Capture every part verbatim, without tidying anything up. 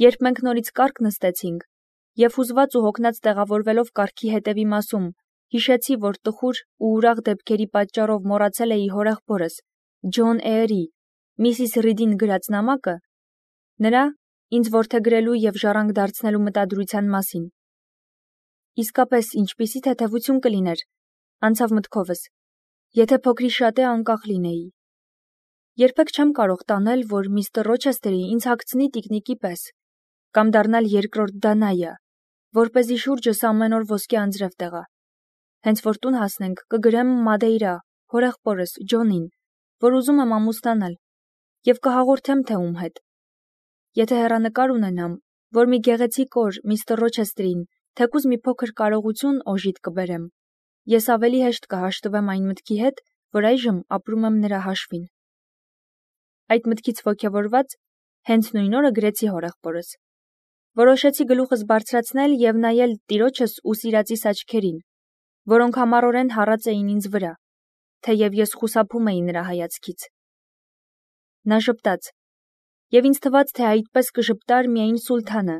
Երբ մենք նորից կառք նստեցինք, և հուզված ու հոգնած տեղավորվելով կառքի հետևի մասում, հիշեցի, որ տխուր ու ուրախ դեպքերի պատճառով մոռացել էի հորեղբորս, Ջոն Էյրի, Միսիս Ռիդին գրած նամակը, նրա ինձ որդեգրելու և ժառանգ դարձնելու մտադրության մասին։ Իսկապես ինչպիսի թեթևություն կլիներ, անցավ մտքովս, եթե փոքրի շատ է անկախ լինեի։ Երբեք չեմ կարող տանել, որ միստր Ռոչեսթերի ինձ հագցնի տիկնիկի պես, կամ դառնալ երկրորդ Դանայա, որպեսզի շուրջս ամեն օր ոսկե անձրև տեղա։ Հենց որ տուն հասնենք, կգրեմ Մադեյրա, հորեղբորս Ջոնին, որ ուզում եմ ամուսնանալ, և կհաղորդեմ, թե ում հետ։ Եթե հեռանկար ունենամ, որ մի գեղեցիկ օր միստր Ռոչեսթերին թեկուզ մի փոքր կարողություն օժիտ կբերեմ, ես ավելի հեշտ կհաշտվեմ այն մտքի հետ, որ այժմ ապրում եմ նրա հաշվին։ Այդ մտքից ոգևորված, հենց նույն օրը գրեցի հորեղբորս։ Որոշեցի գլուխս բարձրացնել և նայել տիրոջս ու սիրածիս աչքերին, որոնք համառորեն հառած էին ինձ վրա, թեև ես խուսափում էի նրա հայացքից։ Նա ժպտաց, և ինձ թվաց, թե այդպես կժպտար միայն Սուլթանը,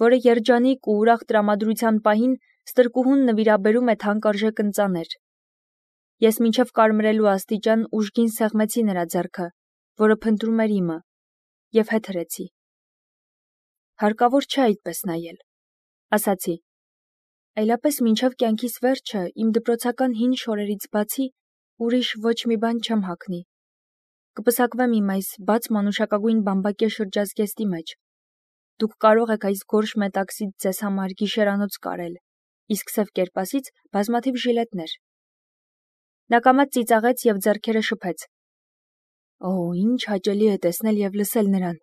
որը երջանիկ ու ուրախ տրամադրության պահին ստրկուհուն նվիրաբերում է թանկարժեք ընծաներ։ Ես մինչև կարմրելու աստիճան ուժգին սեղմեցի նրա ձեռքը, որը փնտրում էր իմը, և հետ հրեցի։ Հարկավոր չէ այդպես նայել, ասացի, այլապես մինչև կյանքիս վերջը իմ դպրոցական հին շորերից բացի ուրիշ ոչ մի բան չեմ հագնի։ Կպսակվեմ իմ այս բաց մանուշակագույն բամբակե շրջազգեստի մեջ։ Դուք կարող եք այս գորշ մետաքսից ձեզ համար գիշերանոց կարել, իսկ սև կերպասից բազմաթիվ ժիլետներ։ Նա կամաց ծիծաղեց և ձեռքերը շփեց։ Օ, ինչ հաճելի է տեսնել և լսել նրան,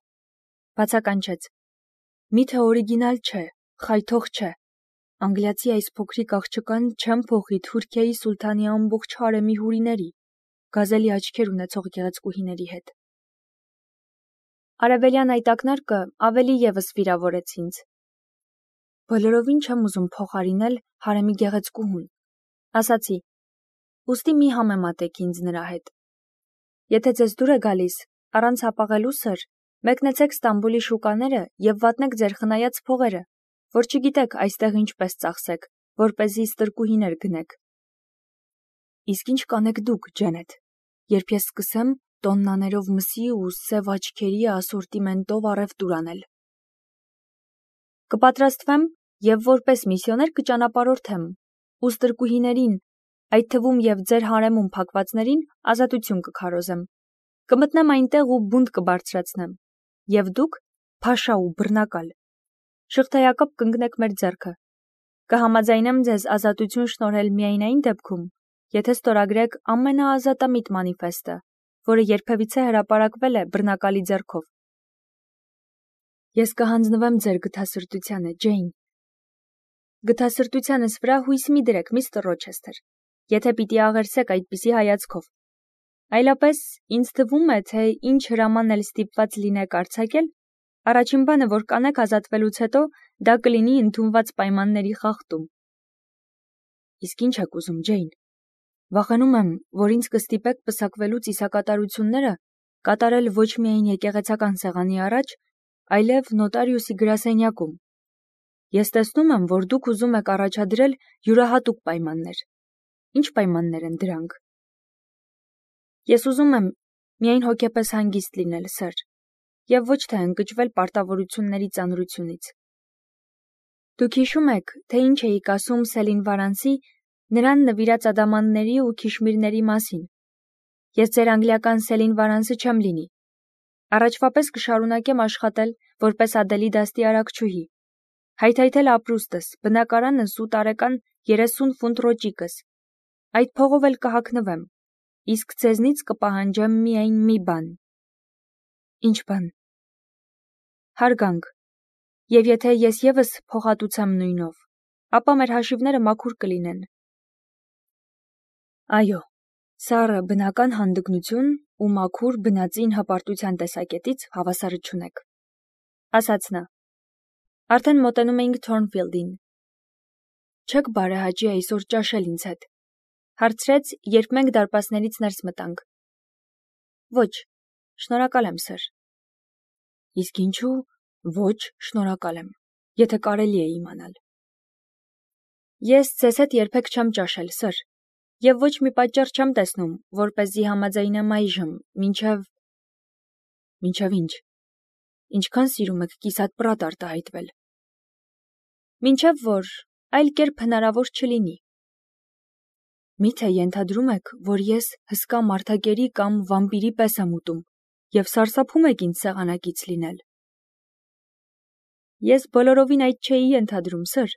բացականչեց։ Միթե օրիգինալ չէ, խայթող չէ։ Անգլիացի այս փոքրիկ աղջկան չեմ փոխի Թուրքիայի սուլթանի ամբողջ հարեմի հուրիների, գազելի աչքեր ունեցող գեղեցկուհիների հետ։ Արևելյան այդ ակնարկը ավելի ևս վիրավորեց ինձ։ Բոլորովին չեմ ուզում փոխարինել հարեմի գեղեցկուհուն, ասացի, ուստի մի համեմատեք ինձ նրա հետ։ Եթե ձեզ դուր է գալիս, առանց հապաղելու սր, մեկնեցեք Ստամբուլի շուկաները և վատնեք ձեր խնայած փողերը, որ չգիտեք այստեղ ինչպես ծախսեք, որպեսզի ստրկուհիներ գնեք։ Իսկ ինչ կանեք դուք, Ջենեթ, երբ ես սկսեմ տոննաներով մսի ու սև աչքերի ասորտիմենտով առևտուր անել։ Կպատրաստվեմ և որպես միսիոներ կճանապարհորդեմ ու ստրկուհիներին, այդ թվում և ձեր հարեմում փակվածներին ազատություն կքարոզեմ։ Կմտնեմ այնտեղ ու բունտ կբարձրացնեմ, և դուք, փաշա ու բռնակալ, շղթայակապ կընկնեք մեր ձեռքը։ Կհամաձայնեմ ձեզ ազատություն շնորհել միայն այն դեպքում, եթե ստորագրեք ամենաազատամիտ մանիֆեստը, որը երբևիցե հրապարակվել է բռնակալի ձեռքով։ Ես կհանձնվեմ ձեր գթասրտությանը, Ջեյն։ Գթասրտությանս վրա հույս մի դրեք, միստր Ռոչեսթեր, եթե պիտի աղերսեք այդպիսի հայացքով։ Այլապես ինձ թվում է, թե ինչ հրաման էլ ստիպված լինեք արձակել, առաջին բանը, որ կանեք ազատվելուց հետո, դա կլինի ընդունված պայմանների խախտում։ Իսկ ինչ եք ուզում, Ջեյն։ Վախենում եմ, որ ինձ կստիպեք պսակվելու ծիսակատարությունները կատարել ոչ միայն եկեղեցական սեղանի առաջ, այլև նոտարիուսի գրասենյակում։ Ես տեսնում եմ, որ դուք ուզում եք առաջադրել յուրահատուկ պայմաններ։ Ինչ պայմաններ են դրանք։ Ես ուզում եմ միայն հոգեպես հանգիստ լինել, սըր, և ոչ թե ընկճվել պարտավորությունների ծանրությունից։ Դուք հիշում եք, թե ինչ էիք ասում Սելին Վարանսի, նրան նվիրած ադամանների ու քիշմիրների մասին։ Ես ձեր անգլիական Սելին Վարանսը չեմ լինի։ Առաջվա պես կշարունակեմ աշխատել որպես Ադելի դաստի արակչուհի, հայթայթել ապրուստս, բնակարանս ու տարեկան երեսուն ֆունտ ռոճիկս։ Այդ փողով էլ կհագնվեմ, իսկ ձեզնից կպահանջեմ միայն մի բան։ Ինչ բան։ Հարգանք։ Եվ եթե ես ևս փոխհատուցեմ նույնով, ապա մեր հաշիվները մաքուր կլինեն։ Այո, սառը բնական հանդգնություն ու մաքուր բնածին հպարտության տեսակետից հավասարը չունեք, ասաց նա։ Արդեն մոտենում էինք Թորնֆիլդին։ Չեք բարեհաճի այսօր ճաշել ինձ հետ, հարցրեց, երբ մենք դարպասներից ներս մտանք։ Ոչ, շնորհակալ եմ, սըր։ Իսկ ինչու, Ոչ, շնորհակալ եմ, եթե կարելի է իմանալ։ Ես ձեզ հետ երբեք չեմ ճաշել, սըր, և ոչ մի պատճառ չեմ տեսնում, որպեսզի համաձայնեմ այժմ, մինչև… Մինչև ինչ։ Ինչքան սիրում եք կիսատ պրատ արտահայտվել։ Մինչև որ այլ կերպ հնարավոր չլինի։ Միթե ենթադրում եք, որ ես հսկա մարդակերի կամ վամպիրի պես եմ ուտում և սարսափում եք ինձ սեղանակից լինել։ Ես բոլորովին այդ չէի ենթադրում, սըր,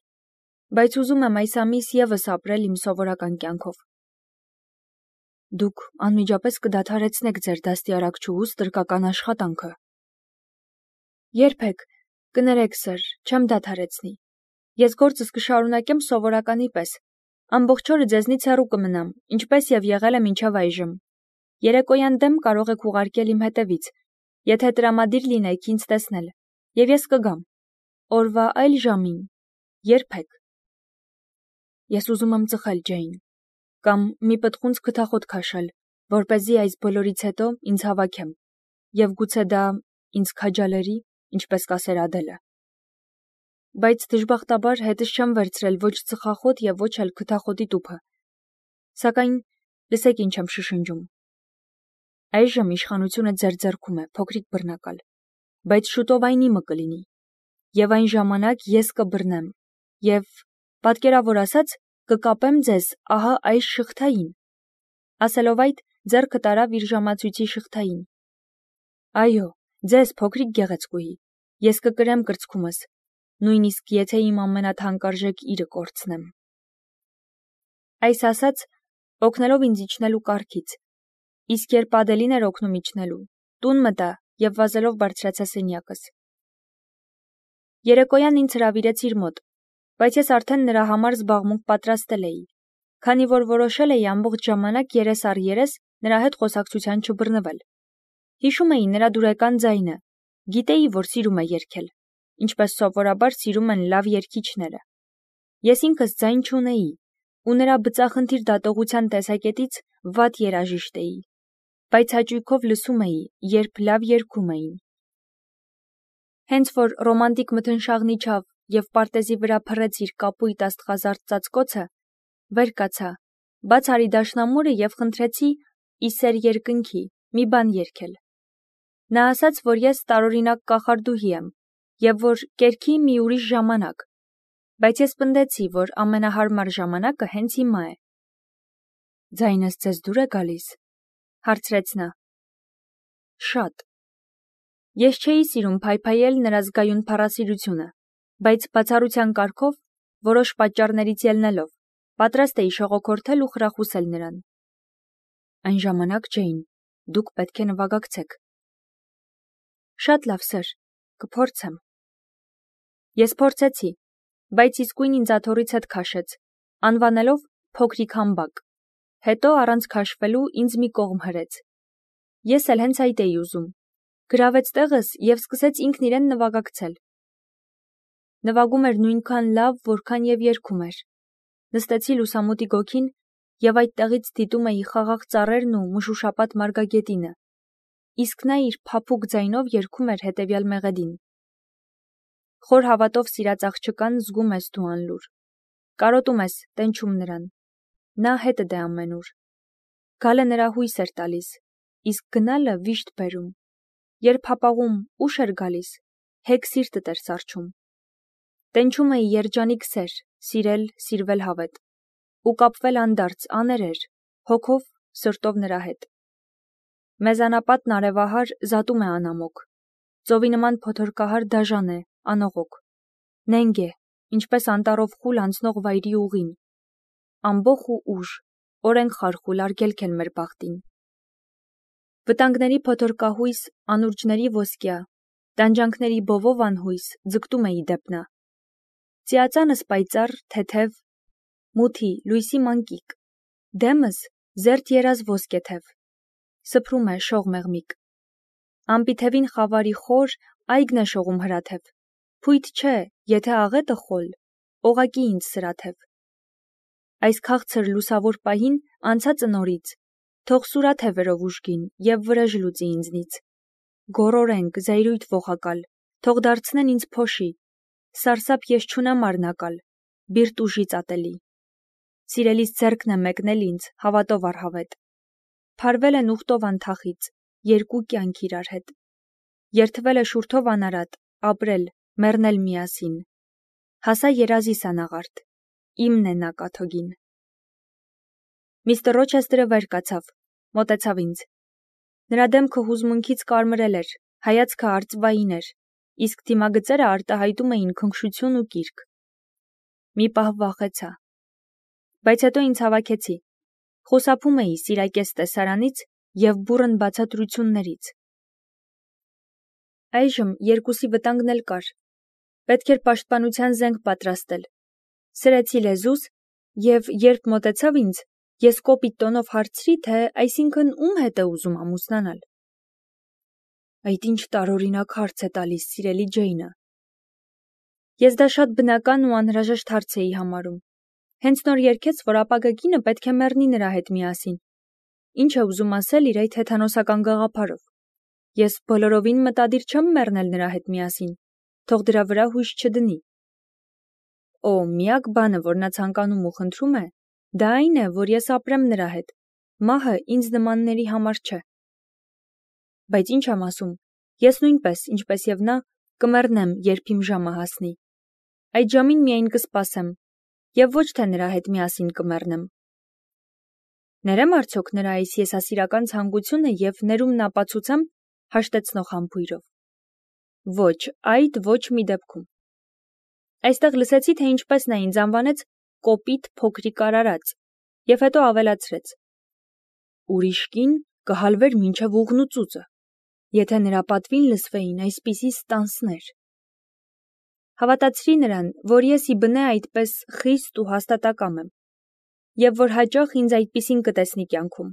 բայց ուզում եմ այս ամիս ևս ապրել իմ սովորական կյանքով։ Դուք անմիջապես կդադարեցնեք ձեր դաստիարակչուհուս տրկական աշխատանքը։ Երբեք, կներեք, սըր, չեմ դադարեցնի։ Ես գործս կշարունակեմ սովորականի պես, ամբողջ օրը ձեզնից հեռու կմնամ, ինչպես և եղել եմ մինչև այժմ։ Երեկոյան դեմ կարող եք ուղարկել իմ հետևից, եթե տրամադիր լինեք ինձ տեսնել, և ես կգամ։ Օրվա այլ ժամին, երբեք։ Ես ուզում եմ ծխել, Ջեյն, կամ մի պտղունց քթախոտ քաշել, որպեսզի այս բոլորից հետո ինձ հավաքեմ, և գուցե դա ինձ քաջալերի, ինչպես կասեր Ադելը։ Բայց դժբախտաբար հետս չեմ վերցրել ոչ ծխախոտ և ոչ էլ քթախոտի տուփը։ Սակայն լսեք ինչ եմ շշնջում։ Այժմ իշխանությունը ձեր ձեռքում է, փոքրիկ բռնակալ, բայց շուտով այն իմը կլինի, և այն ժամանակ ես կբռնեմ, և, պատկերավոր ասած, կկապեմ ձեզ ահա այս շղթային։ Ասելով այդ, ձեռքը տարավ իր ժամացույցի շղթային։ Այո, ձեզ, փոքրիկ գեղեցկուհի, ես կկրեմ կրծքումս, նույնիսկ եթե իմ ամենաթանկարժեք իրը կորցնեմ։ Այս ասած, օգնելով ինձ իջնելու կառքից, իսկ երբ Ադելին էր օգնում իջնելու, տուն մտա և վազելով բարձրացա սենյակս։ Երեկոյան ինձ հրավիրեց իր մոտ, բայց ես արդեն նրա համար զբաղմունք պատրաստել էի, քանի որ որոշել էի ամբողջ ժամանակ երես առ երես նրա հետ խոսակցության չբռնվել։ Հիշում էի նրա դուրեկան ձայնը, գիտեի, որ սիրում է երգել, ինչպես սովորաբար սիրում են լավ երգիչները։ Ես ինքս ձայն չունեի, ու նրա բծախնդիր դատողության տեսակետից վատ երաժիշտ էի, բայց հաճույքով լսում էի, երբ լավ երգում էին։ Հենց որ ռոմանտիկ մթնշաղն իջավ և պարտեզի վրա փռեց իր կապույտ աստղազարդ ծածկոցը, վեր կացա, բաց արի դաշնամուրը և խնդրեցի ի սեր երկնքի մի բան երգել։ Նա ասաց, որ ես տարօրինակ կախարդուհի եմ, և որ կերքի մի ուրիշ ժամանակ, բայց ես պնդեցի, որ ամենահարմար ժամանակը հենց հիմա է։ Ձայնս ձեզ դուր է գալիս, հարցրեց նա։ Շատ։ Ես չէի սիրում փայփայել նրա զգայուն փառասիրությունը, բայց բացառության կարգով, որոշ պատճառներից ելնելով, պատրաստ էի շողոքորթել ու խրախուսել նրան։ Այն ժամանակ, Ջեյն, դուք պետք է նվագակցեք։ Շատ լավ, սըր, կփորձեմ։ Ես փորձեցի, բայց իսկույն ինձ աթոռից հետ քաշեց, անվանելով փոքրիկ համբակ, հետո առանց քաշվելու ինձ մի կողմ հրեց։ Ես էլ հենց այդ էի ուզում, գրավեց տեղս և սկսեց ինքն իրեն նվագակցել։ Նվագում էր նույնքան լավ, որքան և երգում էր։ Նստեցի լուսամուտի գոգին և այդտեղից դիտում էի խաղաղ ծառերն ու մշուշապատ մարգագետինը, իսկ նա իր փափուկ ձայնով երգում էր հետևյալ մեղեդին. Խոր հավատով սիրած աղջկան զգում ես դու անլուր, կարոտում ես, տենչում նրան, նա հետդ է ամենուր։ Գալը նրա հույս էր տալիս, իսկ գնալը վիշտ բերում, երբ հապաղում ուշ էր գալիս, հեգ սիրտդ էր սառչում։ Տենչում էի երջանիկ սեր, սիրել, սիրվել հավետ, ու կապվել անդարձ, աներեր, հոգով, սրտով նրա հետ։ Մեզանապատն արևահար զատում է անամոք, ծովի նման փոթորկահար դաժան է, անողոք, նենգ է, ինչպես անտառով խուլ անցնող վայրի ուղին, ամբոխ ու ուժ, օրենք խարխուլ արգելք են մեր բախտին։ Վտանգների փոթորկահույս, անուրջների ոսկյա, տանջանքների բովով անհույս ձգտում էի դեպ նա։ Ծիածանս պայծառ, թեթև, մութի, լույսի մանկիկ, դեմս զերծ երազ ոսկե թև, սփռում է շող մեղմիկ։ Ամպիթևին խավարի խոր, այգն է շողում հրաթև, փույթ չէ, եթե աղետը խոլ, օղակի ինձ սրաթև։ Այս քաղցր լուսավոր պահին անցածը նորից, թող սուրաթևերով ուժգին և վրեժ լուծի ինձնից։ Գոռորենք, զայրույթ ողակալ, թող դարձնեն ինձ փոշի, սարսափ ես չունեմ առնակալ, բիրտ ուժից ատելի։ Սիրելիս ձեռքն է մեկնել ինձ, հավատով առհավետ։ Փարվել են ուխտով անթախից, երկու կյանք իրար հետ։ Երթվել է շուրթով անարատ, ապրել, մեռնել միասին։ Հասա երազիս անաղարտ, իմն է նա կաթոգին։ Միստր Ռոչեսթերը վեր կացավ, մոտեցավ ինձ։ Նրա դեմքը հուզմունքից կարմրել էր, հայացքը արծվային էր, իսկ դիմագծերը արտահայտում էին քնքշություն ու կիրք։ Մի պահ վախեցա, բայց հետո ինձ հավաքեցի։ Խուսափում էի սիրակես տեսարանից և բուռն բացատրություններից։ Այժմ երկուսի վտանգն էլ կար։ Պետք էր պաշտպանության զենք պատրաստել։ Սրեցի լեզուս և երբ մոտեցավ ինձ, ես կոպիտ տոնով հարցրի, թե այսինքն ում հետ է ուզում ամուսնանալ։ Այդ ինչ տարօրինակ հարց է տալիս, սիրելի Ջեյնը։ Ես դա շատ բնական ու անհրաժեշտ հարց էի համարում։ Հենց նոր երգեց, որ ապագա կինը պետք է մեռնի նրա հետ միասին։ Ինչ է ուզում ասել իր այդ հեթանոսական գաղափարով։ Ես բոլորովին մտադիր չեմ մեռնել նրա հետ միասին, թող դրա վրա հույս չդնի։ Օ, միակ բանը, որ նա ցանկանում ու խնդրում է, դա այն է, որ ես ապրեմ նրա հետ։ Մահը ինձ նմանների համար չէ։ Բայց ինչ եմ ասում, ես նույնպես, ինչպես և նա, կմեռնեմ, երբ իմ ժամը հասնի։ Այդ ժամին միայն կսպասեմ, և ոչ թե նրա հետ միասին կմեռնեմ։ Ներեմ արդյոք նրա այս եսասիրական ցանկությունը և ներումն ապացուցեմ, հաշտեցնող համբույրով։ Ոչ, այդ ոչ մի դեպքում։ Այստեղ լսեցի, թե ինչպես նա ինձ անվանեց կոպիտ փոքրիկ արարած, և հետո ավելացրեց. Ուրիշ կին կհալվեր մինչև ուղղնուծուծը, եթե նրա պատվին լսվեին այսպիսի ստանսներ։ Հավատացրի նրան, որ ես ի բնե այդպես խիստ ու հաստատակամ եմ, և որ հաճախ ինձ այդպիսին կտեսնի կյանքում,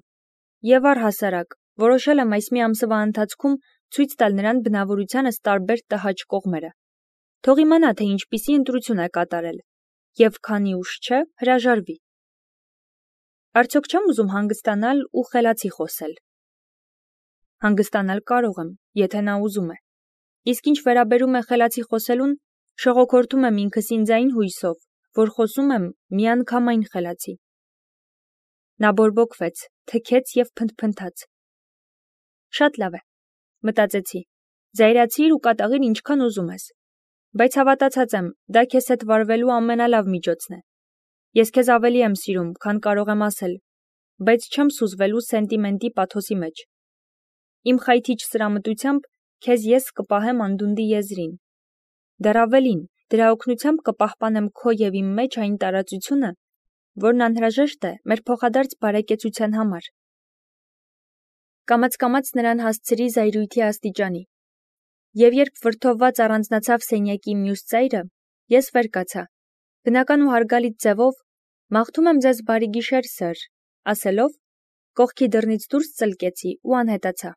և առհասարակ որոշել եմ այս մի ամսվա ընթացքում ցույց տալ նրան բնավորությանս տարբեր տհաճ կողմերը։ Թող իմանա, թե ինչպիսի ընտրություն է կատարել, և քանի ուշ չէ, հրաժարվի։ Արդյոք չեմ ուզում հանգստանալ ու խելացի խոսել։ Հանգստանալ կարող եմ, եթե նա ուզում է։ Իսկ ինչ վերաբերում է խելացի խոսելուն, շողոքորթում եմ ինքս ինձ այն հույսով, որ խոսում եմ միանգամայն խելացի։ Նա բորբոքվեց, թքեց և փնթփնթաց։ Շատ լավ է, մտածեցի, զայրացիր ու կատաղիր ինչքան ուզում ես, բայց հավատացած եմ, դա քեզ հետ վարվելու ամենալավ միջոցն է։ Ես քեզ ավելի եմ սիրում, քան կարող եմ ասել, բայց չեմ սուզվելու սենտիմենտի պաթոսի մեջ։ Իմ խայթիչ սրամտությամբ քեզ ես կպահեմ անդունդի եզրին։ Դեռ ավելին, դրա օգնությամբ կպահպանեմ քո և իմ մեջ այն տարածությունը, որն անհրաժեշտ է մեր փոխադարձ բարեկեցության համար։ Կամաց-կամաց նրան հասցրի զայրույթի աստիճանի, և երբ վրդովված առանձնացավ սենյակի մյուս ծայրը, ես վեր կացա, բնական ու հարգալից ձևով «Մաղթում եմ ձեզ բարի գիշեր, սըր», ասելով, կողքի դռնից դուրս ծլկեցի ու անհետացա։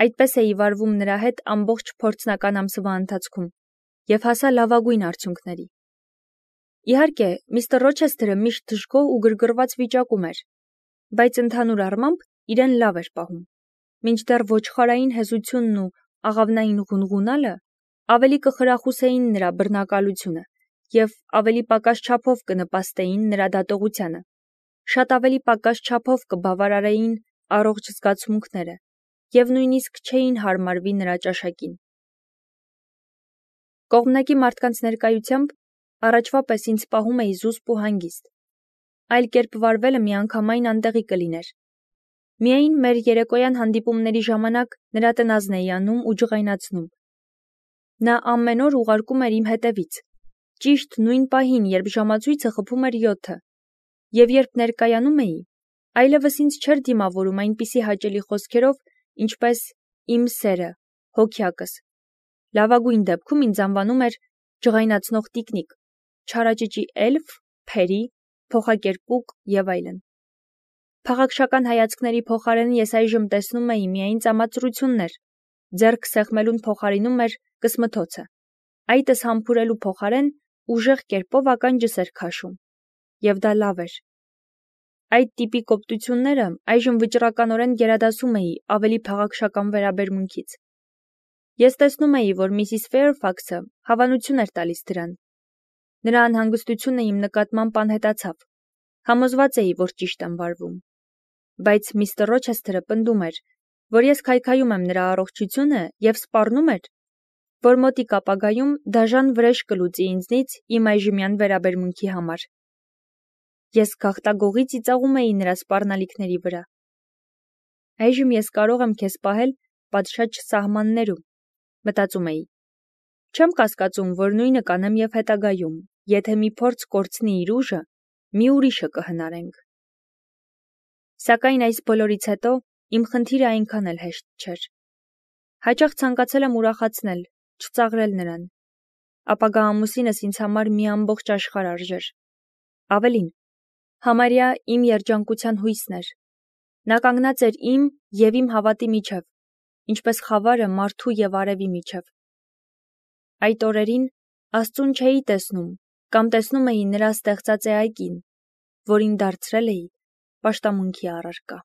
Այդպես էի վարվում նրա հետ ամբողջ փորձնական ամսվա ընթացքում և հասա լավագույն արդյունքների։ Իհարկե, միստր Ռոչեսթերը միշտ դժգոհ ու գրգռված վիճակում էր, բայց ընդհանուր առմամբ իրեն լավ էր պահում, մինչդեռ ոչխարային հեզությունն ու աղավնային ղունղունալը ավելի կխրախուսեին նրա բռնակալությունը և ավելի պակաս չափով կնպաստեին նրա դատողությանը, շատ ավելի պակաս չափով կբավարարեին առողջ զգացմունքները և նույնիսկ չէին հարմարվի նրա ճաշակին։ Կողմնակի մարդկանց ներկայությամբ առաջվա պես ինձ պահում էի զուսպ ու հանգիստ։ Այլ կերպ վարվելը միանգամայն անտեղի կլիներ։ Միայն մեր երեկոյան հանդիպումների ժամանակ նրա տնազն էի անում ու ջղայնացնում։ Նա ամեն օր ուղարկում էր իմ հետևից, ճիշտ նույն պահին, երբ ժամացույցը խփում էր յոթը, և երբ ներկայանում էի, այլևս ինձ չէր դիմավորում այնպիսի հաճելի խոսքերով, ինչպես «իմ սերը», «հոգյակս»։ Լավագույն դեպքում ինձ անվանում էր «ջղայնացնող տիկնիկ», «չարաճճի էլֆ», «փերի», «փոխակերպուկ» և այլն։ Փաղաքշական հայացքների փոխարեն ես այժմ տեսնում էի միայն ծամածրություններ, ձեռք սեղմելուն փոխարինում էր կսմթոցը, այտս համբուրելու փոխարեն ուժեղ կերպով ականջս էր քաշում, և դա լավ էր։ Այդ տիպի կոպտությունները այժմ վճռականորեն գերադասում էի ավելի փաղաքշական վերաբերմունքից։ Ես տեսնում էի, որ Միսիս Ֆեյրֆաքսը հավանություն էր տալիս դրան։ Նրա անհանգստությունը իմ նկատմամբ անհետացավ։ Համոզված էի, որ ճիշտ եմ վարվում։ Բայց միստր Ռոչեսթերը պնդում էր, որ ես քայքայում եմ նրա առողջությունը և սպառնում էր, որ մոտիկ ապագայում դաժան վրեժ կլուծի ինձնից իմ այժմյան վերաբերմունքի համար։ Ես գաղտագողի ծիծաղում էի նրա սպառնալիքների վրա։ Այժմ ես կարող եմ քեզ պահել պատշաճ սահմաններում, մտածում էի։ Չեմ կասկածում, որ նույնը կանեմ և հետագայում, եթե մի փորձ կորցնի իր ուժը, մի ուրիշը կհնարենք։ Սակայն այս բոլորից հետո իմ խնդիրը այնքան էլ հեշտ չէր։ Հաճախ ցանկացել եմ ուրախացնել, չծաղրել նրան։ Ապագա ամուսինս ինձ համար մի ամբողջ աշխարհ արժեր։ Ավելին, համարյա իմ երջանկության հույսն էր։ Նա կանգնած էր իմ և իմ հավատի միջև, ինչպես խավարը մարդու և արևի միջև։ Այդ օրերին Աստծուն չէի տեսնում կամ տեսնում էի նրա ստեղծած էակին, որին դարձրել էի պաշտամունքի առարկա։